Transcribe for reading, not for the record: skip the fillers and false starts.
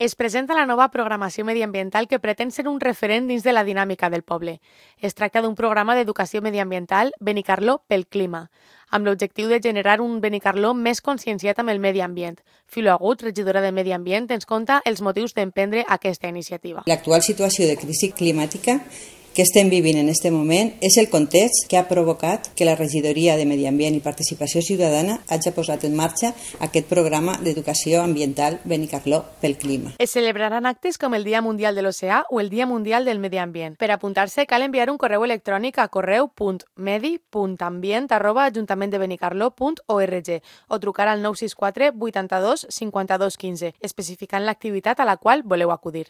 Es presenta la nova programació mediambiental que pretén ser un referent dins de la dinàmica del poble. Es tracta d'un programa d'educació mediambiental Benicarló pel clima, amb l'objectiu de generar un Benicarló més conscienciat amb el medi ambient. Filo Agut, regidora de Medi Ambient, ens conta els motius d'emprendre aquesta iniciativa. L'actual situació de crisi climàtica que estem vivint en aquest moment és el context que ha provocat que la Regidoria de Medi Ambient i Participació Ciutadana hagi posat en marxa aquest programa d'educació ambiental Benicarló pel clima. Es celebraran actes com el Dia Mundial de l'Oceà o el Dia Mundial del Medi Ambient. Per apuntar-se cal enviar un correu electrònic a correu.medi.ambient@ajuntamenttdebenicarló.org o trucar al 964 82 52 15, especificant l'activitat a la qual voleu acudir.